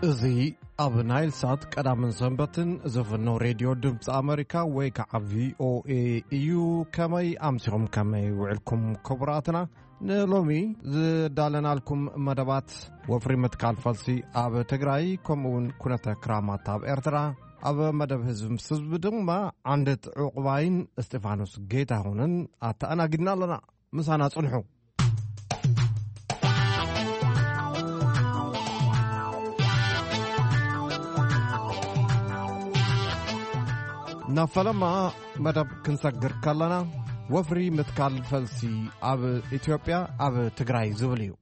እዚ ኣብ ናይል ሳት ቀዳምን ሰንበትን ዝፍኖ ሬድዮ ድምፂ ኣመሪካ ወይ ከዓ ቪ ኦ ኤ እዩ። ከመይ ኣምሲኹም፣ ከመይ ውዕልኩም ክቡራትና? ንሎሚ ዝዳለናልኩም መደባት፣ ወፍሪ ምትካል ፈልሲ ኣብ ትግራይ፣ ከምኡ እውን ኩነተ ክራማት ኣብ ኤርትራ፣ ኣብ መደብ ህዝቢ ምስ ህዝቢ ድማ ዓንድት ዕቑባይን እስጢፋኖስ ጌታሁንን ኣተኣናጊድና ኣለና። ምሳና ጽንሑ። ናብ ፈለማ መደብ ክንሰግር ከለና፣ ወፍሪ ምትካል ፈልሲ ኣብ ኢትዮጵያ፣ ኣብ ትግራይ ዝብል እዩ።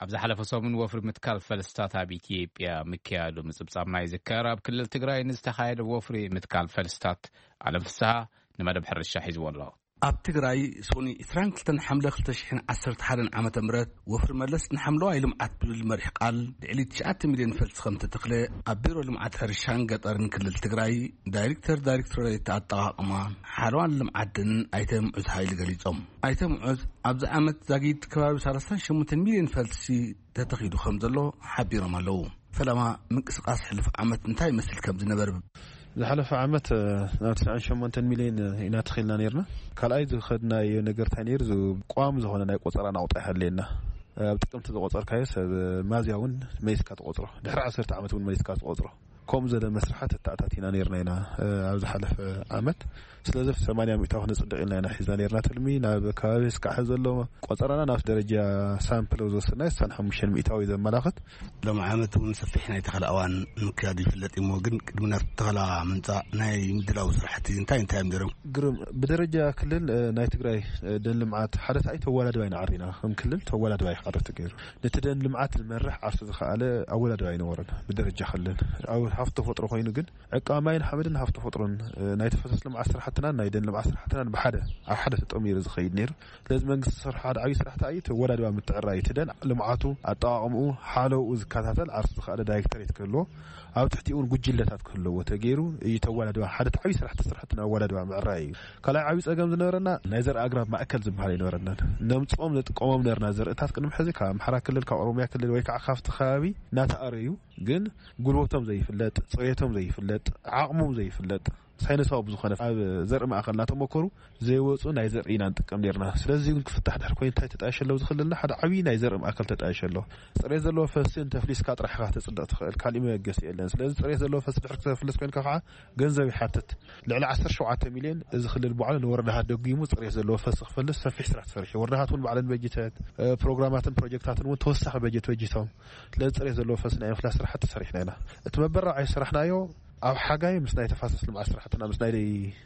ኣብ ዝሓለፈ ሰሙን ወፍሪ ምትካል ፈልስታት ኣብ ኢትዮጵያ ምክያዱ ምጽብጻብና ይዝከር። ኣብ ክልል ትግራይ ንዝተኻየደ ወፍሪ ምትካል ፈልስታት፣ ኣለም ፍስሃ ንመደብ ሕርሻ ሒዝዎ ኣሎ። ኣብ ትግራይ ሶኒ ዕስራን ክልተን ሓምለ ክልተ ሽሕን ዓሰርተ ሓደን ዓመተ ምህረት፣ ወፍሪ መለስ ንሓምለዋይ ልምዓት ብዝብል መሪሕ ቃል፣ ልዕሊ ትሽዓተ ሚልዮን ፈልሲ ከም ተተኽለ ኣብ ቢሮ ልምዓት ሕርሻን ገጠርን ክልል ትግራይ ዳይሬክተር ዳይሬክቶሬት ኣጠቓቕማ ሓለዋን ልምዓትን ኣይተ ምዑዝ ሃይሉ ገሊጾም። ኣይተ ምዑዝ፣ ኣብዚ ዓመት ዛጊድ ከባቢ ሰላሳን ሸሞንተን ሚልዮን ፈልሲ ተተኺሉ ከም ዘሎ ሓቢሮም ኣለዉ። ፈለማ፣ ምንቅስቃስ ሕሉፍ ዓመት እንታይ ይመስል ከም ዝነበረ ዝሓለፈ ዓመት፣ እ፣ ናብ ትስዓን ሸሞንተን ሚልዮን ኢና ተኺልና ነይርና። ካልኣይ ዝኸድናዮ ነገር እንታይ ነይሩ? ዝ-፣ ቋሚ ዝኾነ ናይ ቆጸራ ናቑጣ ይሃለየና። ኣብ ጥቅምቲ ዝቆጸርካዮ ሰብ፣ እ፣ ማዝያ እውን መሊስካ ትቆጽሮ። ድሕሪ ዓሰርተ ዓመት እውን መሊስካ ትቆጽሮ። ከምኡ ዘለ መስርሓት እተኣታቲና ነይርና ኢና፣ እ፣ ኣብ ዝሓለፈ ዓመት። ስለዚ ሰማንያ ሚእታዊ ክነጽድቕ ኢልና ኢና ሒዝና ነይርና ትልሚ። ናብ ከባቢ እስካዕ ዘሎ ቆጸራና ናብ ደረጃ ሳምፕል ዝወሰድናዮ ስሳን ሓሙሽተን ሚእታዊ ዘመላኽት። ሎም ዓመት እውን ሰፊሕ ናይ ተኸላ እዋን ምክያዱ ይፍለጥ እሞ፣ ግን ቅድሚ ናብቲ ተኸላ ምምጻእ ናይ ምድላው ስራሕቲ እንታይ እንታይ እዮም ነይሮም? ግርም፣ ብደረጃ ክልል፣ እ፣ ናይ ትግራይ፣ እ፣ ደን ልምዓት ሓደ ሰዓይ ተወዳድባ ኢና ዓሪና። ከም ክልል ተወዳድባ እዩ ክቐርብ ተገይሩ። ነቲ ደን ልምዓት ዝመርሕ ዓርሱ ዝኸኣለ ኣወዳድባ ኣይነበረን ብደረጃ ክልል። ኣብ ሃፍቲ ተፈጥሮ ኮይኑ ግን ዕቃ ማይን ሓመድን ሃፍቲ ተፈጥሮን፣ እ፣ ናይ ተፈሰስ ልምዓት ስራሕትናን ናይ ደን ልምዓት ስራሕትናን ብሓደ፣ ኣብ ሓደ ተጠሚሩ ዝኸይድ ነይሩ። ስለዚ መንግስቲ ዝሰርሖ ሓደ ዓብዪ ስራሕ እንታይ እዩ? እቲ ኣወዳድባ ምትዕራይ፣ እቲ ደን ልምዓቱ፣ ኣጠቓቕምኡ፣ ሓለውኡ ዝከታተል ዓርሱ ዝኸኣለ ዳይሬክተሬት ክህልዎ፣ ኣብ ትሕቲኡ እውን ጉጅለታት ክህልዎ ተገይሩ እዩ። እቲ ኣወዳድባ ሓደ ዓብዪ ስራሕ ተሰርሐ፣ እቲ ኣወዳድባ ምዕራይ እዩ። ካልኣይ ዓብዪ ጸገም ዝነበረና ናይ ዘርኢ ኣግራብ ማእከል ዝበሃል ኣይነበረናን። ነምጽኦም ነጥቀሞም ነበርና ዘርእታት ቅድሚ ሕዚ ካብ ኣምሓራ ክልል፣ ካብ ኦሮሚያ ክልል ወይ ከዓ ካብቲ ከባቢ እናተኣረዩ፣ ግን ጉልበቶም ዘይፍለጥ፣ ጽሬቶም ዘይፍለጥ፣ ዓቕሞም ዘይፍለጥ፣ ሳይንሳዊ ብዝኾነ ኣብ ዘርኢ ማእከል እናተመከሩ ዘይወፁ ናይ ዘርኢ ኢና ንጥቀም ነርና። ስለዚ እውን ክፍታሕ ድሕር ኮይኑ እንታይ ተጣየሸ ኣለዉ ዝኽልልና ሓደ ዓብዪ ናይ ዘርኢ ማእከል ተጣየሸ ኣሎ። ጽሬት ዘለዎ ፈስሲ እንተፍሊስካ ጥራሕ ኢኻ ተጽድቕ ትኽእል፣ ካሊእ መበገሲ የለን። ስለዚ ጽሬት ዘለዎ ፈስሲ ድሕር ክተፍልስ ኮይንካ ከዓ ገንዘብ ይሓትት። ልዕሊ ዓሰርተ ሸውዓተ ሚልዮን እዚ ክልል ባዕሉ ንወረዳሃት ደጒሙ ጽሬት ዘለዎ ፈስሲ ክፈልስ ሰፊሕ ስራሕ ተሰሪሑ። ወረዳሃት እውን ባዕለን በጅተት፣ እ፣ ፕሮግራማትን ፕሮጀክታትን እውን ተወሳኺ በጀት በጅቶም። ስለዚ ጽሬት ዘለዎ ፈስሲ ናይ ምፍላስ ስራሕቲ ሰሪሕና ኢና። እቲ መበራብዓይ ዝሰራሕናዮ ኣብ ሓጋይ ምስ ናይ ተፋሰስ ልምዓት ስራሕትና፣ ምስ ናይ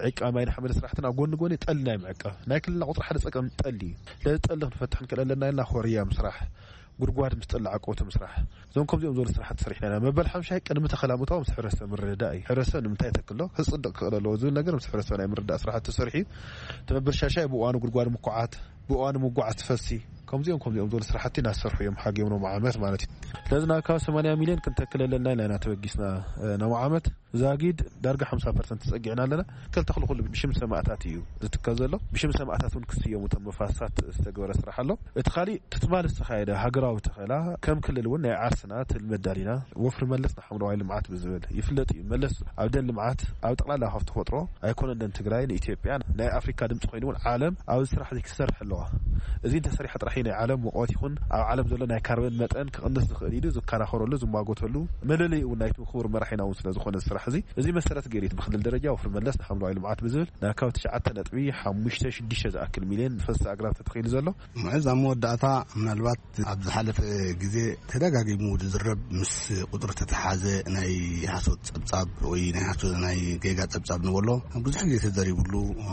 ዕቃ ማይን ሓመድ ስራሕትና፣ ኣብ ጎኒ ጎኒ ጠሊ ናይ ምዕቃብ ናይ ክልልና ቁፅሪ ሓደ ፀገም ጠሊ እዩ። ስለዚ ጠሊ ክንፈትሕ ንክእል ኣለና ኢልና ኮርያ ምስራሕ፣ ጉድጓድ ምስ ጠሊ ዓቀውቲ ምስራሕ፣ እዞም ከምዚኦም ዝበሉ ስራሕቲ ሰሪሕና ኢና። መበል ሓምሻይ ቅድሚ ተኸላ ምእታው ምስ ሕብረተሰብ ምርድዳእ እዩ። ሕብረተሰብ ንምንታይ ተክሎ ክፅድቅ ክኽእል ኣለዎ ዝብል ነገር ምስ ሕብረተሰብ ናይ ምርዳእ ስራሕቲ ተሰሪሑ እዩ። እቲ መበል ሻሻይ ብእዋኑ ጉድጓድ ምኩዓት፣ ብእዋኑ ምጉዓዝ ትፈሲ፣ ከምዚኦም ከምዚኦም ዝበሉ ስራሕቲ እናሰርሑ እዮም ሓጊዮም ሎም ዓመት ማለት እዩ። ስለዚ ናብ ካብ ሰማንያ ሚልዮን ክንተክል ኣለና ኢልና ኢና ተበጊስና፣ እ፣ ናብ ዓመት ዛጊድ ዳርጋ ሓምሳ ፐርሰንት ተጸጊዕና ኣለና። ክልተ ክሊ ኩሉ ብሽም ሰማእታት እዩ ዝትከል ዘሎ። ብሽም ሰማእታት እውን ክስየሙ እቶም መፋስሳት ዝተገበረ ስራሕ ኣሎ። እቲ ካሊእ ትትማል ዝተኻየደ ሃገራዊ ተኸላ ከም ክልል እውን ናይ ዓርስና ትልሚ ኣዳሊና ወፍሪ መለስ ንሓምለዋይ ልምዓት ብዝብል ይፍለጥ እዩ። መለስ ኣብ ደን ልምዓት ኣብ ጠቕላላ ሃፍቲ ተፈጥሮ ኣይኮነን ደን ትግራይ ንኢትዮጵያ ናይ ኣፍሪካ ድምፂ ኮይኑ እውን ዓለም ኣብዚ ስራሕ እዚ ክትሰርሕ ኣለዋ። እዚ እንተሰሪሓ ጥራሕ እዩ ናይ ዓለም ሙቐት ይኹን ኣብ ዓለም ዘሎ ናይ ካርበን መጠን ክቕንስ ዝኽእል ኢሉ ዝከራኸረሉ ዝሟጎተሉ መለለይ እውን ናይቲ ክቡር መራሒና እውን ስለ ዝኾነ እዚ ስራሕ እዚ እዚ መሰረት ገይሩ እዩ ብክልል ደረጃ ወፍሪ መለስ ንሓምለዋይ ልምዓት ብዝብል ናብ ካብ ትሽዓተ ነጥቢ ሓሙሽተ ሽዱሽተ ዝኣክል ሚልዮን ፈሰስ ኣግራብ ተተኺሉ ዘሎ። ምዕዝ ኣብ መወዳእታ ምናልባት ኣብ ዝሓለፈ ግዜ ተደጋጊሙ ዝዝረብ ምስ ቁፅሪ ተተሓዘ ናይ ሓሶት ጸብጻብ ወይ ናይ ሓሶት ናይ ጌጋ ጸብጻብ ንበሎ ብዙሕ ግዜ ተዘሪብሉ፣ እ፣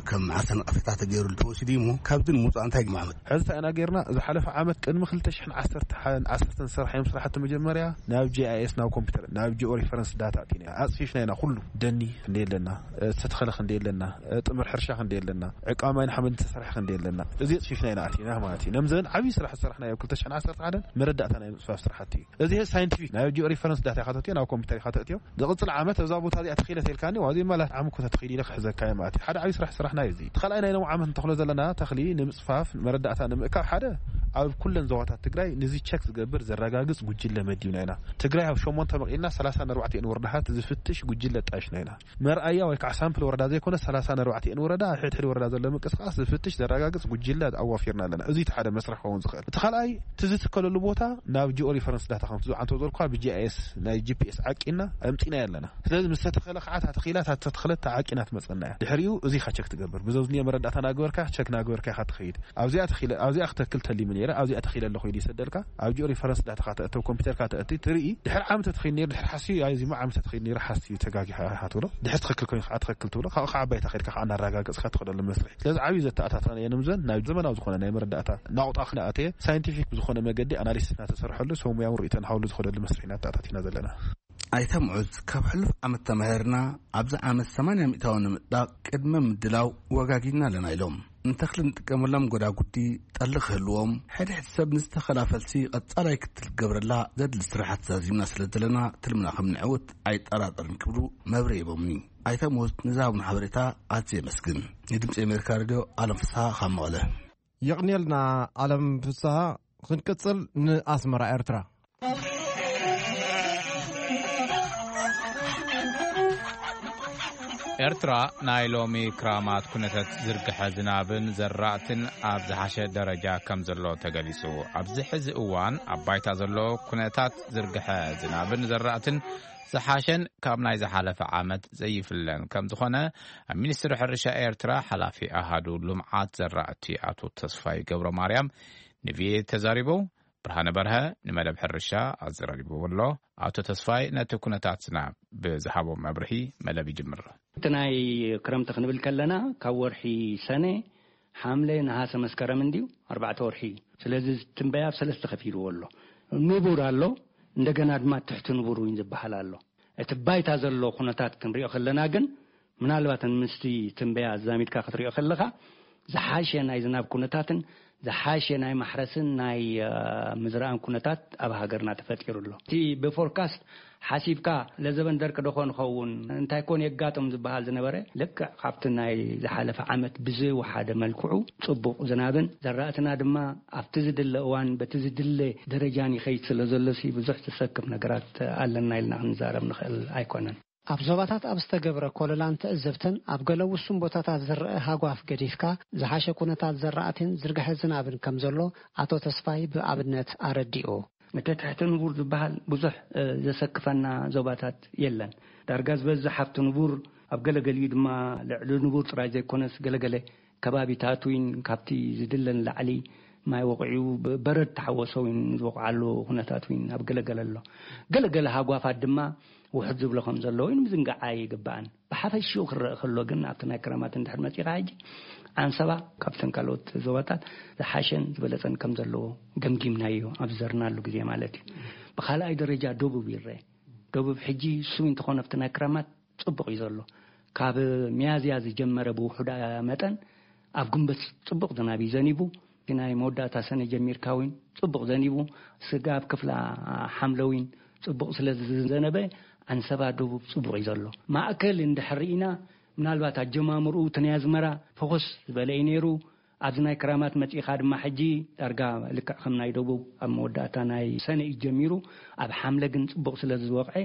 ከም ዓርሰ ነቐፌታ ተገይሩሉ ተወሲዱ እዩ እሞ ካብዚ ንምውፃእ እንታይ ግማዕመት? ሕዚ እንታይ ኢና ገይርና? ዝሓለፈ ዓመት ቅድሚ ክልተ ሽሕን ዓሰርተ ሓደን ዓሰርተን ዝሰራሕናዮም ስራሕቲ መጀመርያ ናብ ጂ ኣይ ኤስ ናብ ኮምፒውተር ናብ ጂኦ ሪፈረንስ ዳታ ኣቲና ኣፅፊፍና ኢና። ኩሉ ደኒ ክንደይ ኣለና፣ ዝተተኸለ ክንደይ ኣለና፣ ጥምር ሕርሻ ክንደይ ኣለና፣ ዕቃ ማይን ሓመድን ተሰርሐ ክንደይ ኣለና፣ እዚ ኣፅፊፍና ኢና ኣቲና ማለት እዩ። ነምዘን ዓብዪ ስራሕ ዝሰራሕናዮ ኣብ ክልተ ሽሕን ዓሰርተ ሓደን መረዳእታ ናይ ምፅፋፍ ስራሕቲ እዩ። እዚ ሳይንቲፊክ ናይ ጂኦ ሪፈረንስ ዳታ ኢኻ ተእትዮ፣ ናብ ኮምፒውተር ኢኻ ተእትዮ። ዝቕፅል ዓመት እዛ ቦታ እዚኣ ተኺለ ተልካኒ፣ ዋዚ መላት ዓም እኮ ተተኺሉ ኢለ ክሕዘካ እየ ማለት እዩ። ሓደ ዓብዪ ስራሕ ስራሕና እዩ እዚ። እቲ ካልኣይ ናይ ሎም ዓመት እንተኽሎ ዘለና ተኽሊ ንምፅፋፍ መረዳእታ ንምእካብ ካብ ሓደ ኣብ ኩለን ዞባታት ትግራይ ንዚ ቸክ ዝገብር ዘረጋግጽ ጉጅለ መዲብና ኢና። ትግራይ ኣብ ሸሞንተ መቒልና ሰላሳ ኣርባዕተ ወረዳታት ዝፍትሽ ጉጅለ ጣይሽና ኢና። መርኣያ ወይ ከዓ ሳምፕል ወረዳ ዘይኮነ ሰላሳ ኣርባዕተ ወረዳ፣ ኣብ ሕድሕድ ወረዳ ዘሎ ምንቅስቃስ ዝፍትሽ ዘረጋግጽ ጉጅለ ኣዋፊርና ኣለና። እዚ እቲ ሓደ መስርሕ ክኸውን ዝኽእል። እቲ ካልኣይ፣ እቲ ዝትከለሉ ቦታ ናብ ጂኦ ሪፈረንስ ዳታ ከም ትዝዓንቶ ዘልኳ ብጂኣይኤስ ናይ ጂፒኤስ ዓቂና ኣምጺና ኣለና። ስለዚ ምስ ተተኸለ ከዓ እታ ተኺላ እታ ተተኸለት ዓቂና ትመጸና እያ። ድሕሪኡ እዚ ኢኻ ቸክ ትገብር። ብዘብዝኒኦ መረዳእታ ናገበርካ ቸክ ናገበርካ ኢኻ ትኸይድ። ኣብዚኣ ተኺለ ኣብዚኣ ክተክል ተሊሙ ነይረ ኣብዚኣ ተኺለ ኣለኹ ኢሉ ይሰደልካ። ኣብ ጂኦ ሪፈረንስ ዳታ ከተእተው ኮምፒውተርካ ተእቲ ትርኢ። ድሕሪ ዓመት ተኺል ነይሩ ድሕሪ ሓስዩ ኣይ ዚማ ዓመት ተኺል ነይሩ ሓስዩ ተጋጊኻ ኢኻ ትብሎ። ድሕሪ ትኽክል ኮይንካ ትኽክል ትብሎ። ካብኡ ከዓ ኣባይታ ከድካ ከዓ እናረጋገጽካ ትኸደሉ መስርሕ። ስለዚ ዓብዩ ዘተኣታተና የንምዘን ናብ ዘመናዊ ዝኾነ ናይ መረዳእታ ናቑጣ ክነኣተየ ሳይንቲፊክ ብዝኾነ መገዲ ኣናሊሲስ እናተሰርሐሉ ሰሙያዊ ርእይቶ እናሃብሉ ዝኸደሉ መስርሕ እናተኣታቲና ዘለና። ኣይተ ምዑዝ ካብ ሕሉፍ ዓመት ተማሂርና ኣብዚ ዓመት ሰማንያ ሚእታዊ ንምጥዳቕ ቅድመ ምድላው ወጋጊና ኣለና ኢሎም። ንተኽሊ ንጥቀመሎም ጎዳጉዲ ጠሊ ክህልዎም ሕድሕድ ሰብ ንዝተኸላ ፈልሲ ቀጻላይ ክትል ክገብረላ ዘድሊ ስራሓት ዛዚምና ስለ ዘለና ትልምና ከም ንዕውት ኣይጠራጠርን ክብሉ መብርሂ ሂቦምኒ። ኣይተ ምዑዝ ንዝሃቡና ሓበሬታ ኣዝየ የመስግን። ንድምፂ ኣሜሪካ ሬድዮ ኣለም ፍስሃ ካብ መቐለ። የቕንየልና ኣለም ፍስሃ። ክንቅጽል ንኣስመራ ኤርትራ። ኤርትራ ናይ ሎሚ ክራማት ኩነታት ዝርግሐ ዝናብን ዘራእትን ኣብ ዝሓሸ ደረጃ ከም ዘሎ ተገሊጹ። ኣብዚ ሕዚ እዋን ኣብ ባይታ ዘሎ ኩነታት ዝርግሐ ዝናብን ዘራእትን ዝሓሸን ካብ ናይ ዝሓለፈ ዓመት ዘይፍለን ከም ዝኾነ ኣብ ሚኒስትሪ ሕርሻ ኤርትራ ሓላፊ ኣሃዱ ልምዓት ዘራእቲ ኣቶ ተስፋይ ገብረ ማርያም ንቪኦኤ ተዛሪቡ። ብርሃነ በርሀ ንመደብ ሕርሻ ኣዘራሪብዎ ኣሎ። ኣቶ ተስፋይ ነቲ ኩነታት ዝናብ ብዝሃቦ መብርሂ መደብ ይጅምር። እቲ ናይ ክረምቲ ክንብል ከለና ካብ ወርሒ ሰነ፣ ሓምለ፣ ነሃሰ፣ መስከረም እንድዩ ኣርባዕተ ወርሒ እዩ። ስለዚ ትንበያ ኣብ ሰለስተ ከፊልዎ ኣሎ። ንቡር ኣሎ፣ እንደገና ድማ ትሕቲ ንቡር እውን ዝበሃል ኣሎ። እቲ ባይታ ዘሎ ኩነታት ክንሪኦ ከለና ግን ምናልባት ምስቲ ትንበያ ኣዛሚድካ ክትሪኦ ከለኻ ዝሓሸ ናይ ዝናብ ኩነታትን ዝሓሸ ናይ ማሕረስን ናይ ምዝራእን ኩነታት ኣብ ሃገርና ተፈጢሩ ኣሎ። እቲ ብፎርካስት ሓሲብካ ለዘበን ደርቂ ዶ ኮን ኸውን እንታይ ኮን የጋጥም ዝበሃል ዝነበረ ልክዕ ካብቲ ናይ ዝሓለፈ ዓመት ብዝወሓደ መልክዑ ጽቡቕ ዝናብን ዘራእትና ድማ ኣብቲ ዝድለ እዋን በቲ ዝድለ ደረጃን ይኸይድ ስለ ዘሎ ሲ ብዙሕ ዘሰክፍ ነገራት ኣለና ኢልና ክንዛረብ ንኽእል ኣይኮነን። ኣብ ዞባታት ኣብ ዝተገብረ ኮለላን ትዕዝብትን ኣብ ገለ ውሱን ቦታታት ዝረአ ሃጓፍ ገዲፍካ ዝሓሸ ኩነታት ዘራእቲን ዝርግሐ ዝናብን ከም ዘሎ ኣቶ ተስፋይ ብኣብነት ኣረዲኡ። እቲ ትሕቲ ንቡር ዝበሃል ብዙሕ ዘሰክፈና ዞባታት የለን። ዳርጋ ዝበዝሕ ኣብቲ ንቡር ኣብ ገለገሊኡ ድማ ልዕሊ ንቡር ጥራይ ዘይኮነስ ገለገለ ከባቢታት እውን ካብቲ ዝድለን ላዕሊ ማይ ወቕዑ በረድ ተሓወሶ እውን ዝወቕዓሉ ኩነታት እውን ኣብ ገለገለ ኣሎ። ገለገለ ሃጓፋት ድማ ውሕድ ዝብሎ ከም ዘሎ እውን ምዝንጋዕ ኣይግባእን። ብሓፈሽኡ ክረአ ከሎ ግን ኣብቲ ናይ ክረማት እንድሕር መፂኻ ሕጂ ዓንሰባ ካብተን ካልኦት ዞባታት ዝሓሸን ዝበለፀን ከም ዘለዎ ገምጊምናዮ ኣብ ዝዘርናሉ ግዜ ማለት እዩ። ብካልኣይ ደረጃ ደቡብ ይረአ። ደቡብ ሕጂ እሱ እንተኾነ ኣብቲ ናይ ክረማት ፅቡቕ እዩ ዘሎ። ካብ ሚያዝያ ዝጀመረ ብውሑዳ መጠን ኣብ ግንቦት ፅቡቕ ዝናብ እዩ ዘኒቡ። ናይ መወዳእታ ሰነ ጀሚርካ እውን ፅቡቕ ዘኒቡ። ስጋብ ክፍላ ሓምለ እውን ፅቡቕ ስለ ዝዘነበ ዓንሰባ ደቡብ ፅቡቕ እዩ ዘሎ። ማእከል እንድሕር ርኢና ምናልባት ኣጀማምርኡ እቲ ናይ ኣዝመራ ፈኾስ ዝበለ እዩ ነይሩ። ኣብዚ ናይ ክራማት መጺኻ ድማ ሕጂ ዳርጋ ልክዕ ከም ናይ ደቡብ ኣብ መወዳእታ ናይ ሰነ እዩ ጀሚሩ። ኣብ ሓምለ ግን ጽቡቕ ስለ ዝወቕዐ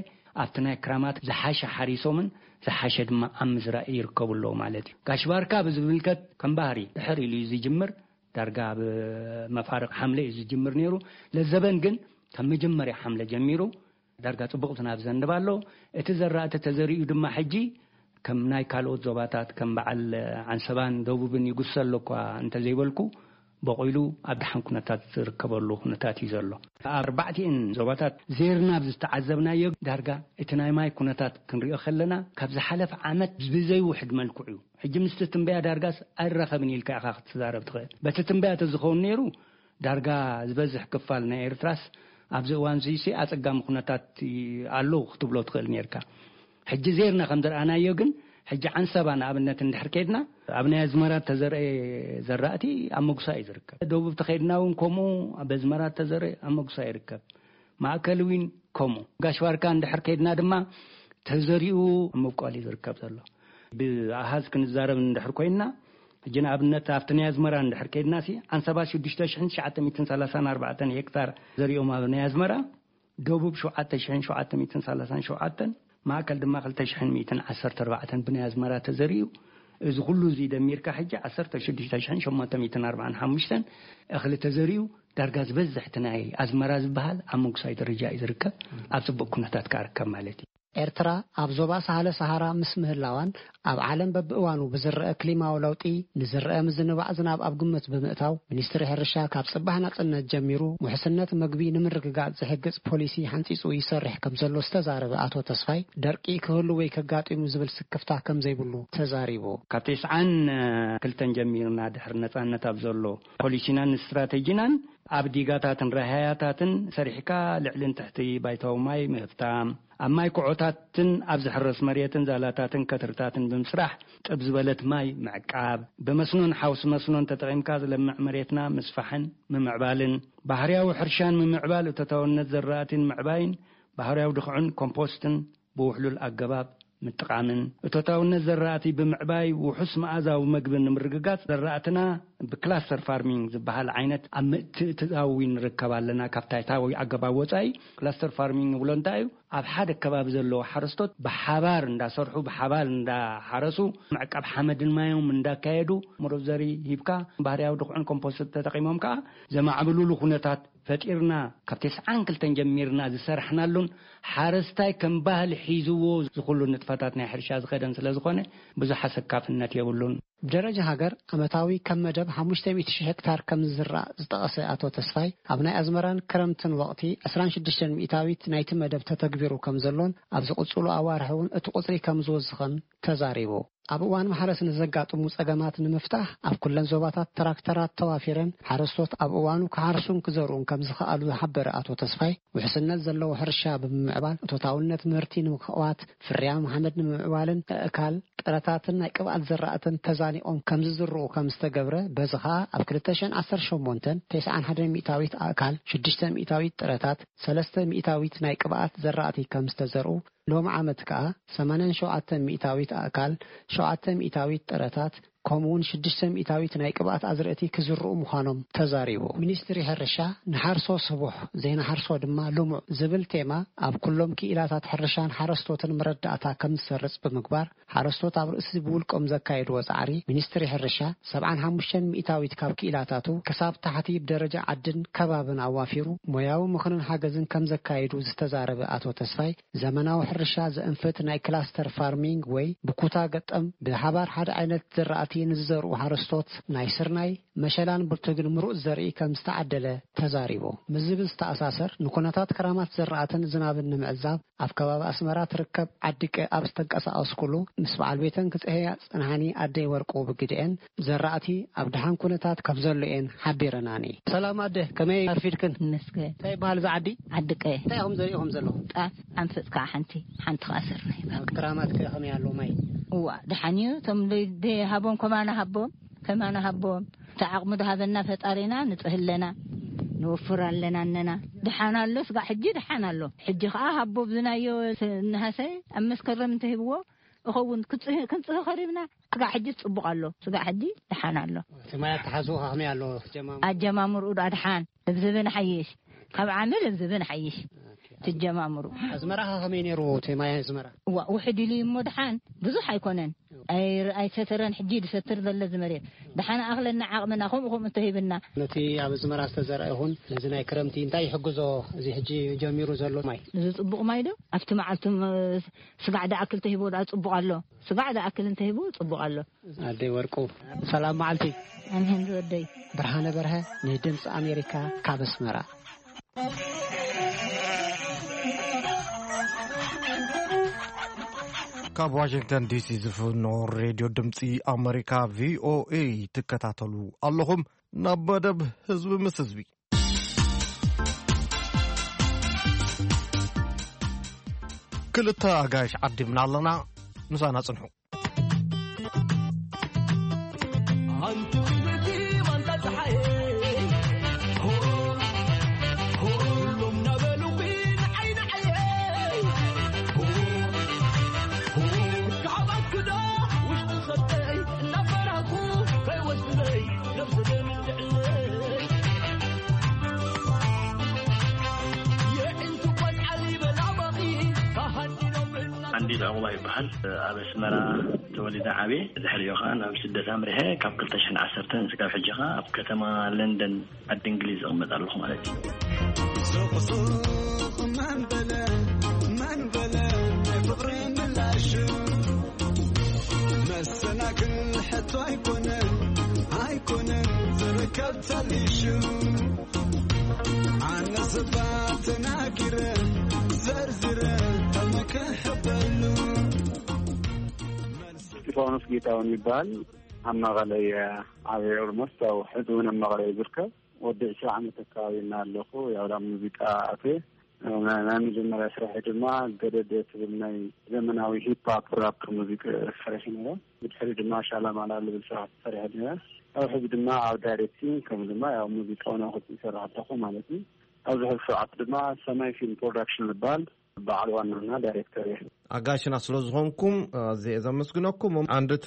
ኣብቲ ናይ ክራማት ዝሓሸ ሓሪሶምን ዝሓሸ ድማ ኣብ ምዝራእ ይርከቡ ኣለዉ ማለት እዩ። ጋሽ ባርካ ብዝምልከት ከም ባህሪ ድሕር ኢሉ እዩ ዝጅምር። ዳርጋ ኣብ መፋርቕ ሓምለ እዩ ዝጅምር ነይሩ። ለዘበን ግን ካብ መጀመርያ ሓምለ ጀሚሩ ዳርጋ ጽቡቕ ዝናብ ዘንብ ኣሎ። እቲ ዘራእቲ ተዘሪኡ ድማ ሕጂ ከም ናይ ካልኦት ዞባታት ከም በዓል ዓንሰባን ደቡብን ይጉሰ ኣሎ እኳ እንተዘይበልኩ፣ በቑሉ ኣብ ደሓን ኩነታት ዝርከበሉ ኩነታት እዩ ዘሎ። ኣብ ኣርባዕቲኤን ዞባታት ዜርናብ ዝተዓዘብናዮ ዳርጋ እቲ ናይ ማይ ኩነታት ክንሪኦ ከለና ካብ ዝሓለፈ ዓመት ብዘይውሕድ መልክዑ እዩ። ሕጂ ምስቲ ትንበያ ዳርጋስ ኣይራኸብን ኢልካ ኢኻ ክትዛረብ ትኽእል። በቲ ትንበያ ተዝኸውን ነይሩ ዳርጋ ዝበዝሕ ክፋል ናይ ኤርትራስ ኣብዚ እዋን እዚሲ ኣጸጋሚ ኩነታት ኣሎ ክትብሎ ትኽእል ነርካ። ሕጂ ዜርና ከም ዘርኣናዮ ግን ሕጂ ዓንሰባ ንኣብነት እንድሕር ከድና ኣብ ናይ ኣዝመራ ተዘርአ ዘራእቲ ኣብ መጉሳ እዩ ዝርከብ። ደቡብ ተኸድና እውን ከምኡ ኣብ ኣዝመራ ተዘርአ ኣብ መጉሳ ይርከብ። ማእከል እውን ከምኡ። ጋሽ ባርካ እንድሕር ከድና ድማ ተዘሪኡ ኣብ ምብቋል እዩ ዝርከብ ዘሎ። ብኣሃዝ ክንዛረብ እንድሕር ኮይንና ሕጂ ንኣብነት ኣብቲ ናይ ኣዝመራ እንድሕር ከይድናሲ፣ ዓንሰባ ሽዱሽተ ሽሕን ትሽዓተ ሚእትን ሰላሳን ኣርባዕተን ሄክታር ዘሪኦም ኣብ ናይ ኣዝመራ፣ ደቡብ ሸውዓተ ሽሕን ሸውዓተ ሚእትን ሰላሳን ሸውዓተን፣ ማእከል ድማ ክልተ ሽሕን ሚእትን ዓሰርተ ኣርባዕተን ብናይ ኣዝመራ ተዘሪኡ። እዚ ኩሉ እዚ ደሚርካ ሕጂ ዓሰርተ ሽዱሽተ ሽሕን ሸሞንተ ሚእትን ኣርባዓን ሓሙሽተን እኽሊ ተዘሪኡ፣ ዳርጋ ዝበዝሕ እቲ ናይ ኣዝመራ ዝበሃል ኣብ ምጉሳይ ደረጃ እዩ ዝርከብ። ኣብ ጽቡቕ ኩነታት ከኣ ርከብ ማለት እዩ። ኤርትራ ኣብ ዞባ ሳህለ ሰሃራ ምስ ምህላዋን ኣብ ዓለም በብእዋኑ ብዝረአ ክሊማዊ ለውጢ ንዝረአ ምዝንባዕ ዝናብ ኣብ ግምት ብምእታው፣ ሚኒስትሪ ሕርሻ ካብ ጽባሕ ናጽነት ጀሚሩ ውሕስነት መግቢ ንምርግጋጽ ዝሕግዝ ፖሊሲ ሓንጺጹ ይሰርሕ ከም ዘሎ ዝተዛረበ ኣቶ ተስፋይ፣ ደርቂ ክህሉ ወይ ከጋጢሙ ዝብል ስክፍታ ከም ዘይብሉ ተዛሪቡ። ካብ ተስዓን ክልተን ጀሚርና ድሕሪ ነጻነት ኣብ ዘሎ ፖሊሲናን ስትራቴጂናን ኣብ ዲጋታትን ረሃያታትን ሰሪሕካ ልዕልን ትሕቲ ባይታዊ ማይ ምህብታም፣ ኣብ ማይ ኩዖታትን ኣብ ዝሕረስ መሬትን ዛላታትን ከትርታትን ብምስራሕ ጥብ ዝበለት ማይ ምዕቃብ፣ ብመስኖን ሓውሲ መስኖን ተጠቒምካ ዝለምዕ መሬትና ምስፋሕን ምምዕባልን፣ ባህርያዊ ሕርሻን ምምዕባል እቶታውነት ዘራእቲን ምዕባይን፣ ባህርያዊ ድኽዕን ኮምፖስትን ብውሕሉል ኣገባብ ምጥቓምን፣ እቶታውነት ዘራእቲ ብምዕባይ ውሑስ መኣዛዊ መግቢ ንምርግጋጽ፣ ዘራእትና ብክላስተር ፋርሚንግ ዝበሃል ዓይነት ኣብ ምትእትታዊ ንርከብ ኣለና። ካብ ታሕታዊ ኣገባብ ወጻኢ ክላስተር ፋርሚንግ ንብሎ እንታይ እዩ? ኣብ ሓደ ከባቢ ዘለዉ ሓረስቶት ብሓባር እንዳሰርሑ፣ ብሓባር እንዳሓረሱ፣ ምዕቃብ ሓመድን ማዮም እንዳካየዱ፣ ምሩብ ዘሪ ሂብካ፣ ባህርያዊ ድኹዕን ኮምፖስት ተጠቒሞም ከኣ ዘማዕብሉሉ ኩነታት ፈጢርና፣ ካብ ተስዓን ክልተን ጀሚርና ዝሰራሕናሉን፣ ሓረስታይ ከም ባህሊ ሒዝዎ ዝኹሉ ንጥፈታት ናይ ሕርሻ ዝኸደን ስለ ዝኾነ፣ ብዙሕ ኣሰካፍነት የብሉን። ብደረጃ ሃገር፣ ዓመታዊ ከም መደብ ሓሙሽተ ሚእቲ ሺሕ ሄክታር ከም ዝዝራእ ዝጠቐሰ ኣቶ ተስፋይ፣ ኣብ ናይ ኣዝመራን ክረምትን ወቕቲ ዕስራን ሽዱሽተን ሚእታዊት ናይቲ መደብ ተተግቢሩ ከም ዘሎን፣ ኣብ ዝቕጽሉ ኣዋርሕ እውን እቲ ቁጽሪ ከም ዝወስኽን ተዛሪቡ። ኣብ እዋን ማሕረስ ንዘጋጥሙ ጸገማት ንምፍታሕ፣ ኣብ ኩለን ዞባታት ትራክተራት ተዋፊረን ሓረስቶት ኣብ እዋኑ ክሓርሱን ክዘርኡን ከም ዝኸኣሉ ዝሓበረ ኣቶ ተስፋይ፣ ውሕስነት ዘለዎ ሕርሻ ብምምዕባል፣ እቶታውነት ምህርቲ ንምኽዋት፣ ፍርያም ሓመድ ንምምዕባልን፣ ኣእካል፣ ጥረታትን ናይ ቅብኣት ዘራእትን ተዛኒቖም ከም ዝዝርኡ ከም ዝተገብረ፣ በዚ ኸኣ ኣብ ክልተ ሽሕን ዓሰርተ ሸሞንተን፣ ተስዓን ሓደን ሚእታዊት ኣእካል፣ ሽዱሽተ ሚእታዊት ጥረታት፣ ሰለስተ ሚእታዊት ናይ ቅብኣት ዘራእቲ ከም ዝተዘርኡ፣ ሎሚ ዓመት ከኣ ሰማንያን ሸውዓተን ሚእታዊት ኣእካል፣ ሸውዓተ ሚእታዊት ጥረታት፣ ከምኡ እውን ሽዱሽተ ሚእታዊት ናይ ቅብኣት ኣዝርእቲ ክዝርኡ ምዃኖም ተዛሪቡ። ሚኒስትሪ ሕርሻ፣ "ንሓርሶ ስቡሕ፣ ዘይንሓርሶ ድማ ልሙዕ" ዝብል ቴማ ኣብ ኩሎም ክኢላታት ሕርሻን ሓረስቶትን መረዳእታ ከም ዝሰርጽ ብምግባር፣ ሓረስቶት ኣብ ርእሲ ብውልቆም ዘካየድዎ ጻዕሪ፣ ሚኒስትሪ ሕርሻ ሰብዓን ሓሙሽተን ሚእታዊት ካብ ክኢላታቱ ክሳብ ታሕቲ ብደረጃ ዓድን ከባብን ኣዋፊሩ ሞያዊ ምኽርን ሓገዝን ከም ዘካየዱ ዝተዛረበ ኣቶ ተስፋይ፣ ዘመናዊ ሕርሻ ዘእንፍት ናይ ክላስተር ፋርሚንግ ወይ ብኩታ ገጠም ብሓባር ሓደ ዓይነት ዘራእቲ ንዝዘርኡ ሓረስቶት ናይ ስርናይ፣ መሸላን ብርቱግን ምሩጽ ዘርኢ ከም ዝተዓደለ ተዛሪቡ። ምስ ዝብል ዝተኣሳሰር፣ ንኩነታት ክራማት ዘራእትን ዝናብን ንምዕዛብ ኣብ ከባቢ ኣስመራ ትርከብ ዓዲቀ ኣብ ዝተንቀሳቐስኩሉ፣ ምስ በዓል ቤተን ክጽህያ ጽንሓኒ ኣደይ ወርቁ ብግድኤን ዘራእቲ ኣብ ደሓን ኩነታት ከም ዘሎ እየን ሓቢረናኒ። ሰላም ኣደ፣ ከመይ ኣርፊድክን? መስገን። እንታይ ይበሃል እዚ ዓዲ? ዓዲ ቀየ። እንታይ ኢኹም ዘሪእኹም ዘለኹም? ጣፍ፣ ሓንፈጽ ከዓ ሓንቲ፣ ሓንቲ ከዓ ስርናይ። ኣብ ክራማት ከ ከመይ ኣሎ ማይ? እዋ፣ ደሓን እዩ። እቶም ደይ-፣ ደይሃቦም ከማና ሃቦም፣ ከማና ሃቦም። እቲ ዓቕሚ ዝሃበና ፈጣሪና ንጽህ ኣለና፣ ንወፍር ኣለና እነና። ደሓን ኣሎ፣ ስጋዕ ሕጂ ደሓን ኣሎ። ሕጂ ከዓ ሃቦ ብዝናዮ ስ-፣ እንሃሰ ኣብ መስከረም እንተሂብዎ፣ እኸውን ክጽህ-፣ ክንጽህ ኸሪብና። ስጋዕ ሕጂ ጽቡቕ ኣሎ። ስጋዕ ሕጂ ደሓን ኣሎ። እቲ ማይ ኣተሓዝኡ ከመይ ኣሎ? ጀማምሩ? ኣጀማምርኡ ደኣ ደሓን። ልብዝብን ሓይሽ። ካብ ዓሚ ልብዝብን ሓይሽ። ኦኬ። ትጀማምሩ። ኣዝመራ ከመይ ነይሩ? እቲ ማይ ኣዝመራ? እዋ፣ ውሕድ ኢሉ እዩ እሞ ደሓን። ብዙሕ ኣይኮነን። ኣይ-፣ ኣይሰተረን። ሕጂ ድሰትር ዘሎ እዚ መሬት። ደሓን ኣኽለና ዓቕምና፣ ከምኡ ከምኡ እንተሂብና። ነቲ ኣብ ኣዝመራ ዝተዘርአ ይኹን ነዚ ናይ ክረምቲ እንታይ ይሕግዞ? እዚ ሕጂ ጀሚሩ ዘሎ ማይ? እዚ ጽቡቕ ማይ ዶ? ኣብቲ መዓልቲ ም-፣ ስጋዕ ደኣ ክልተ ሂቦ ደኣ ጽቡቕ ኣሎ። ስጋዕ ዝኣክል እንተሂቡ ጽቡቕ ኣሎ። ኣደይ ወርቁ፣ ሰላም መዓልቲ። ኣሜን ዝወደይ። ብርሃነ በርሀ፣ ንድምፂ ኣሜሪካ፣ ካብ ኣስመራ። ካብ ዋሽንግተን ዲሲ ዝፍኖ ሬድዮ ድምፂ ኣሜሪካ፣ ቪኦኤ፣ ትከታተሉ ኣለኹም። ናብ መደብ ህዝቢ ምስ ህዝቢ። ክልተ ኣጋይሽ ዓዲምና ኣለና፣ ምሳና ጽንሑ። ሓንቲ ፊልቲ ማንታ ጸሓየ፣ ኩሎም ናበሉኺ ንዓይ ንዓየ፣ ካብ ኣክዳ ውሽጢ ኸብተይ እናፈራኹ እንዲድ ዕቑባ ይበሃል። ኣብ ኣስመራ ተወሊደ ዓብየ። ድሕሪኡ ኸዓ ናብ ስደት ኣምሪሐ። ካብ ክልተ ሽሕን ዓሰርተን እስካብ ሕጂ ኸዓ ኣብ ከተማ ለንደን ዓዲ እንግሊዝ እቕመጥ ኣለኹ ማለት እዩ። ሱቕ ሱቕ መን በለ፣ መን በለ፣ ናይ ፍቕሪ ምላሹ መሰናክል ሕቶ ኣይኮነን፣ ኣይኮነን ዝርከብ ተሊሹ። ኣነ ስባ ተናጊረ፣ ዘርዚረ፣ ተመክሐበሉ። እስጢፋኖስ ጌታሁን ይበሃል። ኣብ መቐለ እየ ዓብየ። ኦልሞስት ያው ሕዚ እውን ኣብ መቐለ እየ ዝርከብ። ወዲ ዕስራ ዓመት ኣካባቢ እና ኣለኹ። ያው ናብ ሙዚቃ ኣትየ። ናይ፣ ናይ መጀመርያ ስራሐይ ድማ ገደደ ትብል ናይ ዘመናዊ ሂፕ ሆፕ ራፕ ሙዚቃ ሰሪሐ ነይረ። ብድሕሪ ድማ ሻላማላ ልብል ስራሕ ሰሪሐ ነይረ። ኣብ ሕዚ ድማ ኣብ ዳይሬክቲንግ ከም ድማ ያው ሙዚቃ እውን ኣብ ይሰርሕ ኣለኹ ማለት እዩ። ኣብዚ ሕዚ ሰዓት ድማ ሰማይ ፊልም ፕሮዳክሽን ዝበሃል በዓል ዋናና ዳይሬክተር እየ። ኣጋሽና ስለ ዝኾንኩም ኣዝየ እየ ዘመስግነኩም። ኣንድት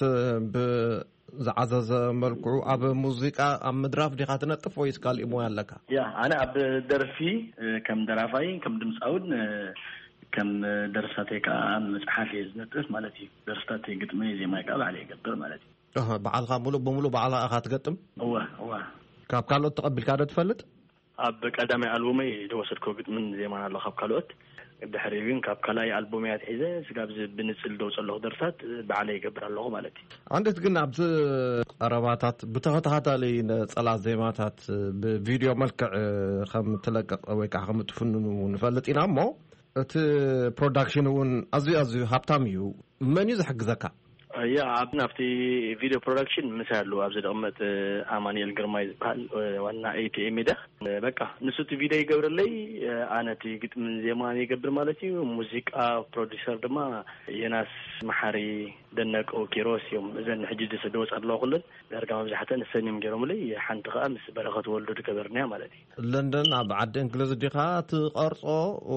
ብዝዓዘዘ መልክዑ ኣብ ሙዚቃ ኣብ ምድራፍ ዲኻ ትነጥፍ ወይስ ካሊእ ሞያ ኣለካ? ያ፣ ኣነ ኣብ ደርፊ፣ እ፣ ከም ደራፋይ፣ ከም ድምፃውን፣ እ፣ ከም ደርፍታተይ ከዓ ኣብ መፅሓፍ እየ ዝነጥፍ ማለት እዩ። ደርፍታተይ ግጥመይ ዜማይ ከዓ ባዕለ ይገብር ማለት እዩ። ኣሃ፣ ባዕልኻ ሙሉእ ብሙሉእ ባዕልኻ ኢኻ ትገጥም? እወ፣ እወ። ካብ ካልኦት ተቐቢልካ ዶ ትፈልጥ? ኣብ ቀዳማይ ኣልቡመይ ዝወሰድኮ ግጥምን ዜማን ኣሎ ካብ ካልኦት። ድሕሪ ግን ካብ ካልኣይ ኣልቡመይ ኣትሒዘ ስጋብ ዚ ብንጽል ደውጸ ኣለኹ ደርፍታት ባዕለይ ይገብር ኣለኹ ማለት እዩ። ኣንዴት ግን ኣብዚ ቀረባታት ብተኸታታሊ ነጸላ ዜማታት ብቪድዮ መልክዕ ከም ትለቅቕ ወይ ከዓ ከም ትፍንኑ ንፈልጥ ኢና እሞ፣ እቲ ፕሮዳክሽን እውን ኣዝዩ ኣዝዩ ሃብታም እዩ። መን እዩ ዝሕግዘካ? እያ፣ ኣብ ናብቲ ቪድዮ ፕሮዳክሽን ምሳይ ኣለዉ ኣብዚ ዝቕመጥ ኣማኑኤል ግርማይ ዝበሃል ዋና ኤ ቲ ኤ ሜድያ። በቃ ንሱ እቲ ቪድዮ ይገብረለይ፣ ኣነ እቲ ግጥምን ዜማን ይገብር ማለት እዩ። ሙዚቃ ፕሮዲሰር ድማ ዮናስ መሓሪ፣ ደነቀው ኪሮስ እዮም። እዘን ሕጂ ዝወፃ ኣለዋ ኩለን ዳርጋ መብዛሕተን እሰን እዮም ገይሮምለይ። ሓንቲ ከዓ ምስ በረኸት ወልዱ ዝገበርናያ ማለት እዩ። ለንደን ኣብ ዓዲ እንግሊዝ ዲኻ ትቐርጾ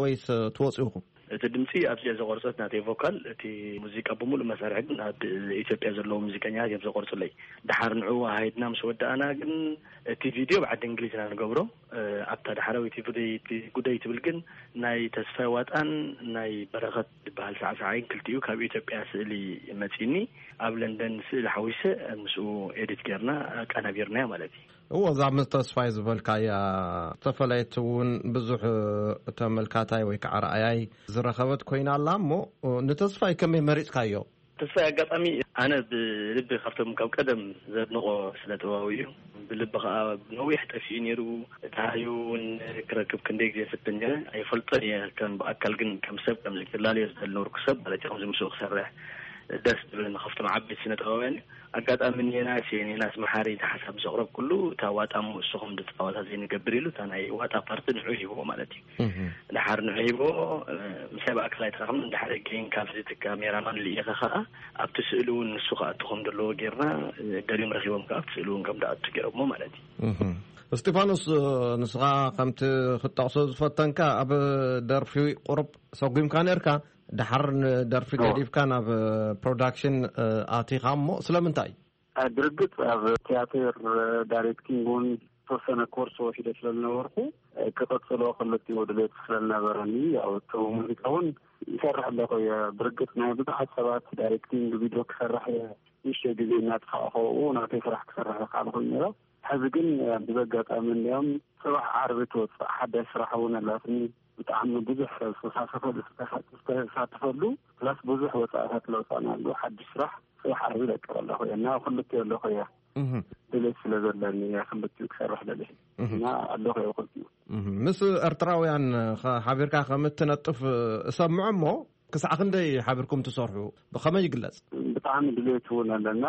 ወይስ ትወፅኡ ኢኹም? እቲ ድምፂ ኣብዚኣ ዘቆርፀት ናተይ ቮካል፣ እቲ ሙዚቃ ብምሉእ መሳርሒ ግን ኣብ ኢትዮጵያ ዘለዉ ሙዚቀኛታት እዮም ዘቆርፅለይ። ደሓር ንዑ ሃይድና ምስ ወዳእና ግን እቲ ቪድዮ ብዓዲ እንግሊዝ ኢና ንገብሮ። እ፣ ኣብታ ዳሕራዊት ጉደይ፣ ጉደይ ትብል ግን ናይ ተስፋይ ዋጣን ናይ በረኸት ዝበሃል ሳዕሳዓይን ክልቲኡ ካብ ኢትዮጵያ ስእሊ መፂኒ ኣብ ለንደን ስእሊ ሓዊሰ ምስኡ ኤዲት ጌርና ኣቀናቢርናያ ማለት እዩ። እዎ፣ እዛ ምስ ተስፋይ ዝበልካያ ዝተፈለየት እውን ብዙሕ ተመልካታይ ወይ ከዓ ረኣያይ ዝረኸበት ኮይና ኣላ። እሞ ንተስፋይ ከመይ መሪፅካዮ? ተስፋይ ኣጋጣሚ ኣነ ብልቢ ካብቶም ካብ ቀደም ዘድንቆ ስነ ጥበባዊ እዩ። ብልቢ ከዓ ነዊሕ ጠፊኡ ነይሩ። እቲ ሃዩ እውን ክረክብ ክንደይ ግዜ ፈትን ነይረ። ኣይፈልጦን እየ ከም ብኣካል፣ ግን ከም ሰብ ከም ዝላለዮ ዝደል ነበርኩ ሰብ ማለት እዩ። ከምዚ ምስኡ ክሰርሕ ደስ ዝብለኒ ካብቶም ዓበይቲ ስነ ጥበባውያን እዩ። ኣጋጣሚ ኔናስ እየ፣ ኔናስ መሓሪ፣ እቲ ሓሳብ ምስ ኣቕረብኩሉ፣ እታ ዋጣ እሞ እሱ ከም ዝፃወታ ዘይንገብር ኢሉ፣ እታ ናይ ዋጣ ፓርቲ ንዑ ሂብዎ ማለት እዩ። እህ። ድሓር ንዑ ሂብዎ፣ እ፣ ምሳይ ብኣካል ኣይተራኸብን። ድሓር ገይን ካብዚ እቲ ካሜራማን ልኢኸ ከዓ ኣብቲ ስእሊ እውን ንሱ ክኣቱ ከም ዘለዎ ጌርና፣ እ፣ ደልዮም ረኺቦም ከዓ ኣብቲ ስእሊ እውን ከም ዝኣቱ ገይሮሞ ማለት እዩ። እህ። እስጢፋኖስ፣ እ፣ ንስኻ ከምቲ ክትጠቕሶ ዝፈተንካ ኣብ ደርፊ ቁሩብ ሰጒምካ ነርካ፣ ድሓር ንደርፊ እዎ። ገዲፍካ ናብ ፕሮዳክሽን፣ እ፣ ኣቲኻ እሞ ስለምንታይ? እ፣ ብርግጽ ኣብ ቲያትር፣ እ፣ ዳይሬክቲንግ እውን ዝተወሰነ ኮርስ ወሲደ ስለ ዝነበርኩ፣ እ፣ ክቕጽሎ ክልቲኡ ድሌት ስለ ዝነበረኒ፣ ያው እቲ ሙዚቃ እውን ይሰርሕ ኣለኹ እየ። ብርግጽ ናይ ብዙሓት ሰባት ዳይሬክቲንግ ቪድዮ ክሰርሕ እየ፣ ንእሽተይ ግዜ እናጥፋእኹ ናተይ ስራሕ ክሰርሕ ዝኸኣልኩ ነይረ። ሕዚ ግን፣ እ፣ ብዘጋጣሚ እንዲኦም ጽባሕ ዓርቢ ትወጽእ ሓዳሽ ስራሕ እውን ኣላትኒ። ብጣዕሚ ብዙሕ ሰብ ዝተሳተፈሉ፣ ዝተሳተፈሉ፣ ፕላስ ብዙሕ ወጻእታት ለውጣና ኣሉ። ሓድሽ ስራሕ ጽባሕ ዓርቢ ይለቅቕ ኣለኹ እየ እና ክልቲኡ ኣለኹ እየ። እህ። ድሌት ስለ ዘለኒ እየ ክልቲኡ ክሰርሕ ደልየ እህ። እና ኣለኹ እየ ክልቲኡ። እህ። ምስ ኤርትራውያን ኸ-፣ ሓቢርካ ከም እትነጥፍ እሰምዖ እሞ፣ ክሳዕ ክንደይ ሓቢርኩም ትሰርሑ? ብኸመይ ይግለጽ? ብጣዕሚ ድሌት እውን ኣለና።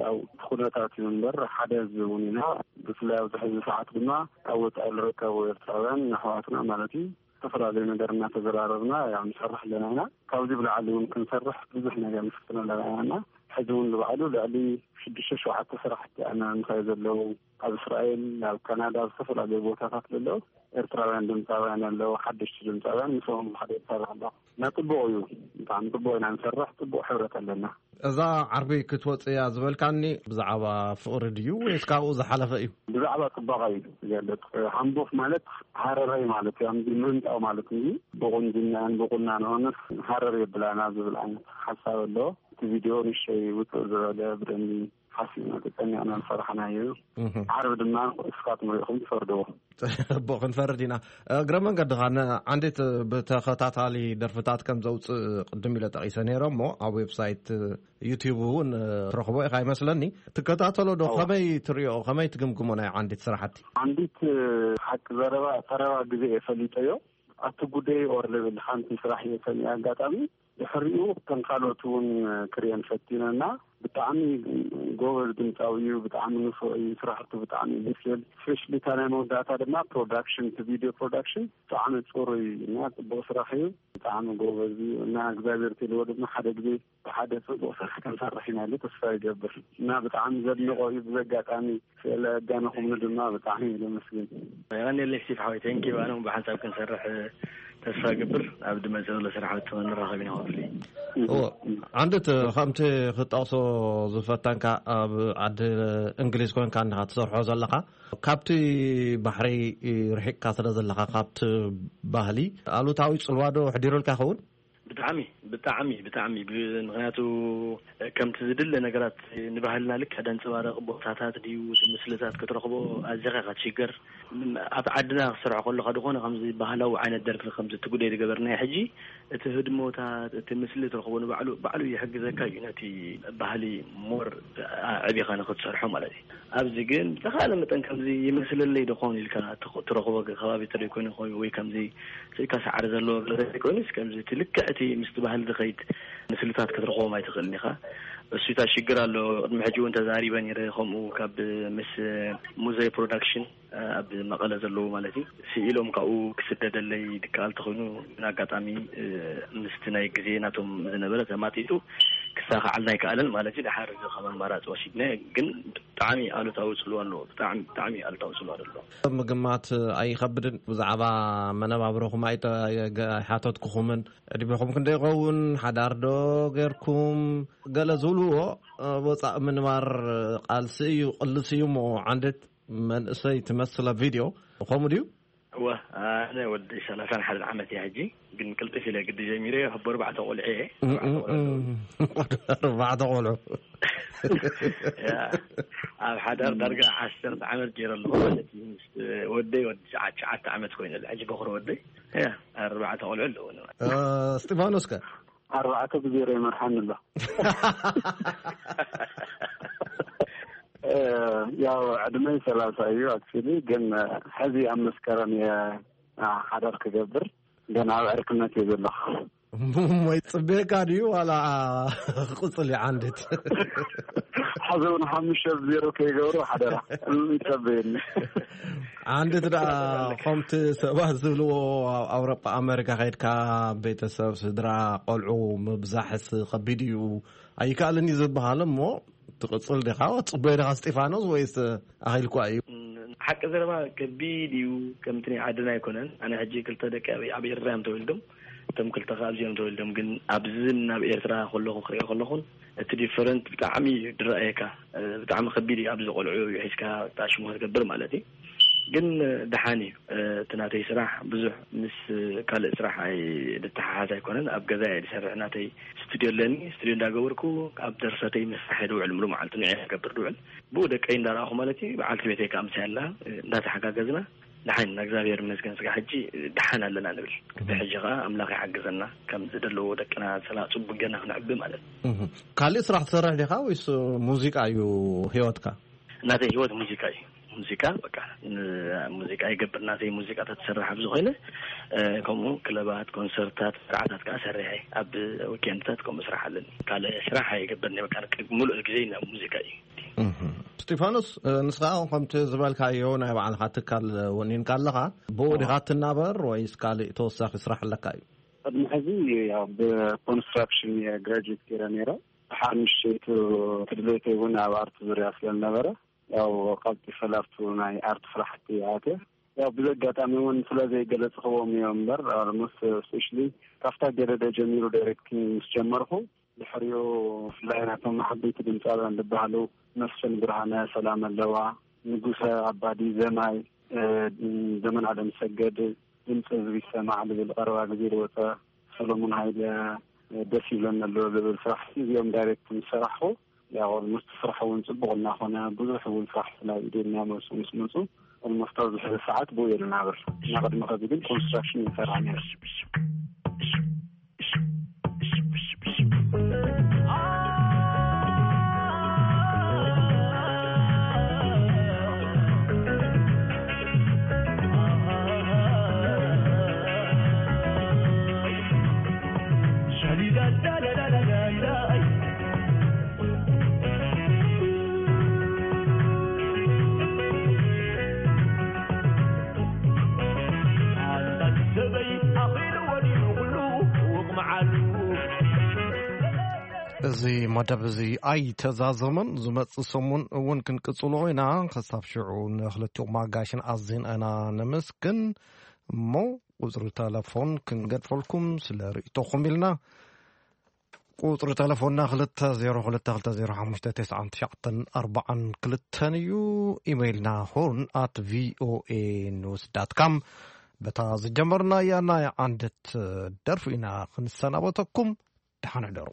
ያው እቲ ኩነታት እዩ እምበር ሓደ ህዝቢ እውን ኢና። ብፍላይ ኣብዚ ሕዚ ሰዓት ድማ ኣብ ወጻኢ ዝርከቡ ኤርትራውያን ኣሕዋትና ማለት እዩ፣ ዝተፈላለዩ ነገር እናተዘራረብና ያው ንሰርሕ ኣለና ኢና። ካብዚ ብላዕሊ እውን ክንሰርሕ ብዙሕ ነገር ንፍትን ኣለና ኢና እና ሕዚ እውን ንባዕሉ ልዕሊ ሽዱሽተ ሸውዓተ ስራሕቲ ኣና ምሳይ ዘለዉ ኣብ እስራኤል፣ ኣብ ካናዳ፣ ኣብ ዝተፈላለዩ ቦታታት ዘለዉ ኤርትራውያን ድምፃውያን ኣለዉ፣ ሓደሽቲ ድምፃውያን ምስኦም ሓደ ይሰርሕ ኣለኹ። እና ጽቡቕ እዩ። ብጣዕሚ ጽቡቕ ኢና ንሰርሕ፣ ጽቡቕ ሕብረት ኣለና። እዛ ዓርቢ ክትወጽእ እያ ዝበልካኒ ብዛዕባ ፍቕሪ ድዩ ወይስ ካብኡ ዝሓለፈ እዩ? ብዛዕባ ጽባቐ እዩ ዝገልጽ። ሃምቦፍ ማለት ሃረራይ ማለት እዩ፣ ኣምዲ ምህንጣው ማለት እዩ። ብቑንጅናን ብቑናኖንስ ሃረር የብላና ዝብል ዓይነት ሓሳብ ኣሎ። እቲ ቪድዮ ንእሽተይ ውጽእ ዝበለ ብደንቢ ሓሲብና ተጨኒቕና ዝሰራሕናዮ እዩ። እህ። ዓርቢ ድማ እስኻትኩም ርኢኹም ትፈርድዎ። ጽቡቕ፣ ክንፈርድ ኢና። እግረ መንገድኻ ንዓንዲት ብተኸታታሊ ደርፍታት ከም ዘውጽእ ቅድም ኢለ ጠቒሰ ነይረ እሞ ኣብ ዌብሳይት ዩቲዩብ እውን ትረኽቦ ኢኻ ይመስለኒ። ትከታተሎ ዶ? እዋ። ከመይ ትሪኦ? ከመይ ትግምግሞ ናይ ዓንዲት ስራሕቲ? ዓንዲት ሓቂ ዘረባ ቀረባ ግዜ እየ ፈሊጠዮ። ኣቲ ጉደይ ኦር ልብል ሓንቲ ስራሕ እየ ሰሚዐ ኣጋጣሚ። ድሕሪኡ ከም ካልኦት እውን ክርእየን ፈቲነና። ብጣዕሚ ጎበዝ ድምፃዊ እዩ፣ ብጣዕሚ ንፉዕ እዩ፣ ስራሕቱ ብጣዕሚ እዩ ደስ ዝብል። ስፔሻሊ እታ ናይ መወዳእታ ድማ ፕሮዳክሽን፣ እቲ ቪድዮ ፕሮዳክሽን ብጣዕሚ ፅሩይ እና ፅቡቅ ስራሕ እዩ። ብጣዕሚ ጎበዝ እዩ እና እግዚኣብሔር ትልዎ ድማ ሓደ ግዜ ብሓደ ጽቡቕ ስራሕ ክንሰርሕ ኢና ኢሉ ተስፋ ይገብር እና ብጣዕሚ ዘድንቖ እዩ። ብዚ ኣጋጣሚ ስለ ኣዳነኹምኒ ድማ ብጣዕሚ እየ ዘመስግን። የቐንየለይ ስቲፍ ሓወይ፣ ቴንኪዩ። ኣነ እውን ብሓንሳብ ክንሰርሕ ተስፋ እገብር። ኣብ ድመጽእ ዘሎ ስራሕ ንራኸብ ኢና ክፍሊ። እዎ፣ ዓንድት ከምቲ ክትጠቕሶ ዝፈተንካ ኣብ ዓዲ እንግሊዝ ኮንካ እንዲኻ ትሰርሖ ዘለኻ፣ ካብቲ ባሕሪ ርሒቕካ ስለ ዘለኻ ካብቲ ባህሊ ኣሉታዊ ጽልዋ ዶ ኣሕዲሩልካ ይኸውን? ብጣዕሚ፣ ብጣዕሚ፣ ብጣዕሚ። ብ-፣ ምኽንያቱ ከምቲ ዝድለ ነገራት ንባህልና ልክዕ ደንጸባረቕ ቦታታት ድዩ፣ እቲ ምስልታት ክትረኽቦ ኣዚኻ ኢኻ ትሽገር። ኣብ ዓድና ክስራሕ ከለኻ ዝኾነ ከምዚ ባህላዊ ዓይነት ደርፊ ከምዚ እቲ ጉዳይ ዝገበርናዮ ሕጂ፣ እቲ ህድሞታት፣ እቲ ምስሊ ትረኽቦ ንባዕሉ፣ ባዕሉ ይሕግዘካ እዩ ነቲ ባህሊ ሞር ኣዕቢኻ ንኽትሰርሖ ማለት እዩ። ኣብዚ ግን ብዝተኻለ መጠን ከምዚ ይመስለለይ ዶ ኾን ኢልካ ትኽ-፣ ትረኽቦ ከባቢ ተደይኮይኑ ኾይኑ ወይ ከምዚ ስኢካ ሳዕሪ ዘለዎ ገለ ዘይኮይኑስ፣ ከምዚ እቲ ልክዕ እቲ ምስቲ ባህሊ ዝኸይድ ምስልታት ክትረኽቦም ኣይትኽእልን ኢኻ። እሱ እታ ሽግር ኣሎ። ቅድሚ ሕጂ እውን ተዛሪበ ነይረ፣ ከምኡ ካብ ምስ ሙዘይ ፕሮዳክሽን ኣብ መቐለ ዘለዉ ማለት እዩ፣ ስኢሎም ካብኡ ክስደደለይ ድከኣል ተኾይኑ፣ ግን ኣጋጣሚ ምስቲ ናይ ግዜ ናቶም ዝነበረ ተማጢጡ ክሳኻዓልና ኣይከኣለን ማለት እዩ። ደሓር እዚ ከም ኣማራፂ ወሲድና፣ ግን ብጣዕሚ ኣሉታዊ ጽልዋ ኣለዎ። ብጣዕሚ፣ ብጣዕሚ ኣሉታዊ ጽልዋ ኣለዎ። ምግማት ኣይኸብድን። ብዛዕባ መነባብሮኹም ኣይተ-፣ ኣይገ-፣ ኣይሓተትኩኹምን። ዕድሜኹም ክንደይ ይኸውን? ሓዳር ዶ ጌርኩም? ገለ ዝብልዎ፣ እ፣ ወጻእ ምንባር ቃልሲ እዩ፣ ቅልሲ እዩ እሞ ዓንድት መንእሰይ ትመስል ኣብ ቪድዮ። ከምኡ ድዩ? እወ፣ ኣነ ወዲ ሰላሳን ሓደን ዓመት እየ ሕጂ፣ ግን ቅልጥፍ ኢለ ግዲ ጀሚረ፣ ኣብ ኣርባዕተ ቆልዑ እየ። እም፣ እም፣ እም። ኣርባዕተ ቆልዑ። ያ፣ ኣብ ሓዳር ዳርጋ ዓሰርተ ዓመት ገይረ ኣለኹ ማለት እዩ። ምስ ወደይ ወዲ ትሽዓ-፣ ትሽዓተ ዓመት ኮይኑ ኣሎ ሕጂ በኹሪ ወደይ። ያ፣ ኣርባዕተ ቆልዑ ኣለዉኒ። እ፣ እስጢፋኖስ ከ? ኣርባዕተ ብዜሮ ይመርሓኒ ኣሎ። እ፣ ያው ዕድመይ ሰላሳ እዩ ኣክቹሊ፣ ግን ሕዚ ኣብ መስከረም እየ፣ አ፣ ሓዳር ክገብር፣ ግን ኣብ ዕርክነት እየ ዘለኹ። እሞይ ጽቤካ ድዩ ዋላ ክቕጽል እዩ ዓንድት? ሕዚ እውን ሓሙሽተ ብዜሮ ከይገብሩ ሓደራ፣ እም፣ ይጸበየኒ። ዓንድት ደኣ ከምቲ ሰባት ዝብልዎ ኣብ ኣውሮጳ ኣመሪካ ከይድካ ቤተሰብ፣ ስድራ፣ ቆልዑ ምብዛሕስ ከቢድ እዩ። ኣይከኣልን እዩ ዝበሃል እሞ ትቕጽል ዲኻ? ትጽበዮ ዲኻ እስጢፋኖስ ወይስ ኣኺልኳ እዩ? ሓቂ ዘረባ ከቢድ እዩ። ከምቲ ናይ ዓድና ኣይኮነን። ኣነ ሕጂ ክልተ ደቂ ኣብ፣ ኣብ ኤርትራ እዮም ተወልዶም። እቶም ክልተ ከኣ ኣብዚኦም ተወልዶም። ግን ኣብዚ ናብ ኤርትራ ከለኹ ክሪኦ ከለኹን እቲ ዲፈረንት ብጣዕሚ እዩ ዝረኣየካ። ብጣዕሚ ከቢድ እዩ ኣብዚ ቆልዑ ሒዝካ ኣሽሙ ክትገብር ማለት እዩ። ግን ደሓን እዩ። እቲ ናተይ ስራሕ ብዙሕ ምስ ካልእ ስራሕ ኣይ-፣ ዝተሓሓዝ ኣይኮነን። ኣብ ገዛ እየ ዝሰርሕ። ናተይ ስቱድዮ ኣለኒ። ስቱድዮ እንዳገበርኩ ኣብ ደርሰተይ ምስራሕ እየ ድውዕል። ሙሉእ መዓልቲ ንዕየ ክገብር ድውዕል። ብኡ ደቀይ እንዳረኣኹ ማለት እዩ። በዓልቲ ቤተይ ከኣ ምሳይ ኣላ። እንዳተሓጋገዝና ደሓን ኢና፣ እግዚኣብሔር ይመስገን። ስጋ ሕጂ ደሓን ኣለና ንብል። እቲ ሕጂ ከኣ ኣምላኽ ይሓግዘና፣ ከም ዝደለዎ ደቅና ሰላ-፣ ጽቡቅ ጌርና ክንዕቢ ማለት እዩ። እህ። ካልእ ስራሕ ትሰርሕ ዲኻ ወይስ ሙዚቃ እዩ ህይወትካ? ናተይ ህይወት ሙዚቃ እዩ። ሙዚቃ በቃ፣ ን-፣ ሙዚቃ ይገብር። ናተይ ሙዚቃ ተትሰርሕ ኣብዚ ኮይነ፣ እ፣ ከምኡ ክለባት፣ ኮንሰርታት፣ መርዓታት ከኣ ሰሪሐ፣ ኣብ ዊኬንድታት ከምኡ ስራሕ ኣለኒ። ካልእ ስራሕ ኣይገብርን እየ። በቃ፣ ሙሉእ ግዜ ናብ ሙዚቃ እዩ። እህ። ስጢፋኖስ፣ እ፣ ንስኻ ከምቲ ዝበልካዮ ናይ ባዕልኻ ትካል ወኒንካ ኣለኻ፣ ብኡ ዲኻ ትናበር ወይስ ካልእ ተወሳኺ ስራሕ ኣለካ እዩ? ቅድሚ ሕዚ ያው ብኮንስትራክሽን እየ ግራጁዌት ገይረ ነይረ። ድሓር ንእሽተይቱ ትድለይተይ እውን ኣብ ኣርት ዙርያ ስለ ዝነበረ፣ ያው ቀልጢፈ ላብቱ ናይ ኣርት ስራሕቲ ኣትየ። ያው ብዘጋጣሚ እውን ስለ ዘይገለጽኽዎም እዮም እምበር፣ almost especially ካብታ ገደደ ጀሚሩ ዳይሬክቲንግ ምስ ጀመርኩ፣ ድሕሪኡ ብፍላይ ናቶም መሓበይቲ ድምፃውያን ዝበሃሉ መስፍን ብርሃነ፣ ሰላም ኣለዋ፣ ንጉሰ ኣባዲ፣ ዘማይ፣ እ፣ ዘመን ኣለምሰገድ፣ ድምፂ ህዝቢ ይሰማዕ ዝብል ቀረባ ግዜ ዝወፀ፣ ሰሎሞን ሃይለ፣ እ፣ ደስ ይብለኒ ኣሎ ዝብል ስራሕ፣ እዚኦም ዳይሬክት ምስ ሰራሕኹ፣ ያው ኦልሞስት ስራሕ እውን ፅቡቕ እናኾነ፣ ብዙሕ እውን ስራሕ ናይ ኢደና መፁ ምስ መፁ፣ ኦልሞስት ኣብዚ ሕዚ ሰዓት ብኡ እየ ዝናብር። እና ቅድሚ ከዚ ግን ኮንስትራክሽን ይሰራሕ ነይሩ። እዚ መደብ እዚ ኣይተዛዘመን። ዝመጽእ ሰሙን እውን ክንቅጽሎ ኢና። ክሳብ ሽዑ ንክልቲኦም ኣጋይሽን ኣዚና ኢና ነመስግን። እሞ ቁጽሪ ተለፎን ክንገድፈልኩም ስለ ርእይቶኹም ኢልና። ቁጽሪ ተለፎንና ክልተ ዜሮ ክልተ ክልተ ዜሮ ሓሙሽተ ተስዓን ትሽዓተን ኣርባዓን ክልተን እዩ። ኢሜይልና ሆርን ኣት ቪኦኤ ኒውስ ዳት ካም። በታ ዝጀመርናያ ናይ ዓንደት ደርፊ ኢና ክንሰናበተኩም። ደሓን ሕደሩ።